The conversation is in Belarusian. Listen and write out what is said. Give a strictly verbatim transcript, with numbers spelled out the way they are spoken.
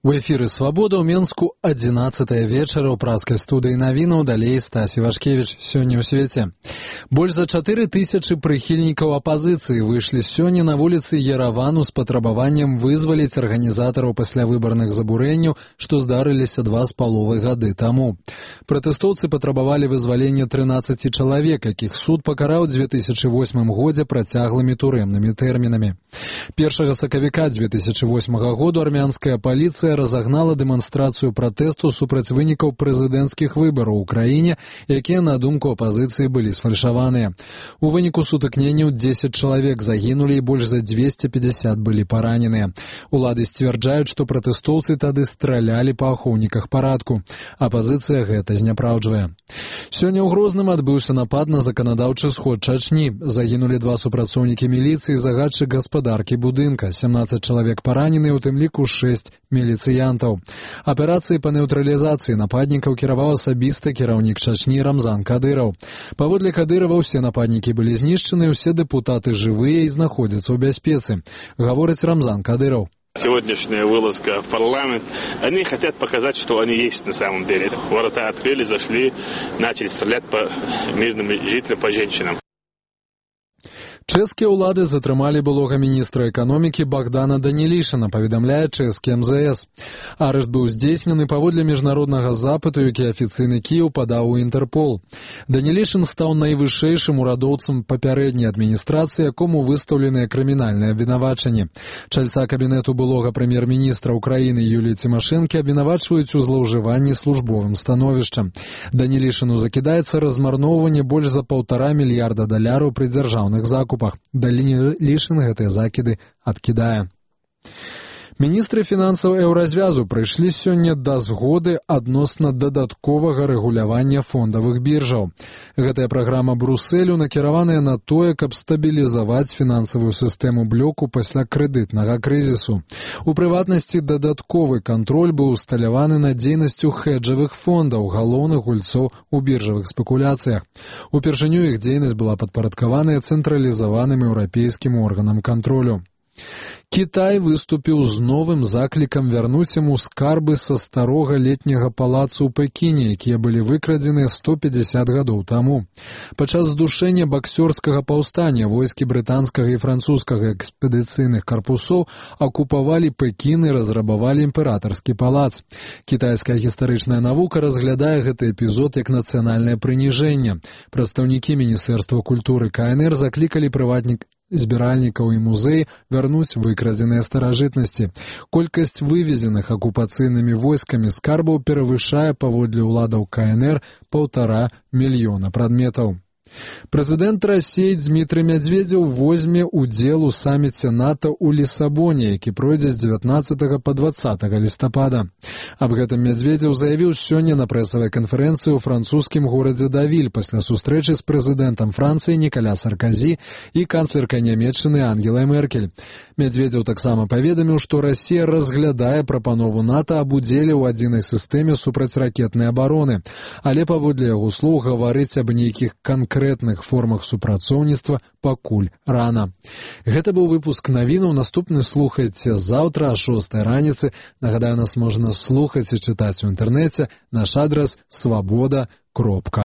У эфіры «Свабода» ў Менску адзінаццатая вечара ў праскай студыі навінаў, далей Стась Івашкевіч. Сёння ў свеце. Больш за чатыры тысячы прыхільнікаў апазіцыі выйшлі сёння на вуліцы Еравану з патрабаваннем вызваліць арганізатараў паслявыбарных забурэнняў, што здарыліся два з паловай гады таму. Пратэстоўцы патрабавалі вызвалення трынаццаці чалавек, якіх суд пакараў у дзве тысячы восьмым годзе працяглымі турэмнымі тэрмінамі. Першага сакавіка дзве тысячы восьмага году армянская паліцыя разагнала дэманстрацыю пратэсту супраць вынікаў прэзідэнцкіх выбараў у краіне, якія, на думку апазіцыі, былі сфальшаваныя. У выніку сутыкненняў дзесяць чалавек загінулі і больш за дзвесце пятьдесят былі параненыя. Улады сцвярджаюць, што пратэстоўцы тады стралялі па ахоўніках парадку. Апазіцыя гэта зняпраўджвае. Сёння ў Грозным адбыўся напад на заканадаўчы сход Чачні. Загінулі два супрацоўнікі міліцыі і загадчык гаспадаркі будынка. сямнаццаць чалавек паранены, у тым ліку шэсць міліцыянтаў. Аперацыі па нейтралізацыі нападнікаў кіраваў асабіста кіраўнік Чачні Рамзан Кадыраў. Паводле Кадырова, усе нападнікі былі знішчаны, усе дэпутаты жывыя і знаходзяцца ў бяспецы. Гаворыць Рамзан Кадыраў. Сегодняшняя вылазка в парламент, они хотят показать, что они есть на самом деле. Ворота открыли, зашли, начали стрелять по мирным жителям, по женщинам. Чэшскія ўлады затрымалі былога міністра эканомікі Богдана Данілішына, паведамляе чэшскі эм зэ эс. Арышт быў здзейснены паводле міжнароднага запыту, які афіцыйны Кіеў падаў у Інтэрпол. Данілішын стаў найвышэйшым урадоўцам папярэдняй адміністрацыі, якому выстаўленыя крымінальныя абвінавачанні. Чальца кабінету былога прэм'ер-міністра ўкраіны Юліі Цімашэнкі абвінавачваюць у злоўжыванні службовым становішчам. Данілішыну закідаецца размарноўванне больш за паўтара мільярда даляраў пры дзяржаўных закупах. Данілішын гэтыя закіды адкідае. Міністры фінансаў еўразвязу прыйшлі сёння да згоды адносна дадатковага рэгулявання фондавых біржаў. Гэтая праграма Брусэлю накіраваная на тое, каб стабілізаваць фінансавую сістэму блоку пасля крэдытнага крызісу. У прыватнасці, дадатковы кантроль быў усталяваны над дзейнасцю хеджавых фондаў, галоўных гульцоў у біржавых спекуляцыях. Упершыню іх дзейнасць была падпарадкаваная цэнтралізаваным еўрапейскім органам кантролю. Кітай выступіў з новым заклікам вярнуць яму скарбы са старога летняга палацу ў Пекіне, якія былі выкрадзены сто пятьдесят гадоў таму. Падчас здушэння баксёрскага паўстання войскі брытанскага і французскага экспедыцыйных карпусоў акупавалі Пекін і разрабавалі імператарскі палац. Кітайская гістарычная навука разглядае гэты эпізод як нацыянальнае прыніжэнне. Прадстаўнікі Міністэрства культуры ка эн эр заклікалі прыватнік збіральнікаў і музей вярнуць выкрадзеныя старажытнасці. Колькасць вывезеных акупацыйнымі войскамі скарбаў перавышае паводле ўладаў ка эн эр паўтара мільёна прадметаў. Прэзідэнт Расіі Дзмітрый Мядзведзеў возьме ўдзел у саміце НАТО ў Лісабоне, які пройдзе з дзевятнаццатага па дваццатага лістапада. Аб гэтым Мядзведзеў заявіў сёння на прэсавай канферэнцыі ў французскім горадзе Давіль пасля сустрэчы з прэзідэнтам Францыі Нікаля Сарказі і канцлеркай Нямецчыны Ангелай Меркель. Мядзведзеў таксама паведаміў, што Расія разглядае прапанову НАТО аб удзеле ў адзінай сістэме супрацьракетнай абароны, але паводле яго слоў гаварыць аб нейкіх канкрэтных конкретных формах супрацоўніцтва пакуль рана. Гэта быў выпуск навінаў. Наступны слухайце заўтра о шостай раніцы. Нагадаю, нас можна слухаць і чытаць у інтэрнэце. Наш адрас свабода кропка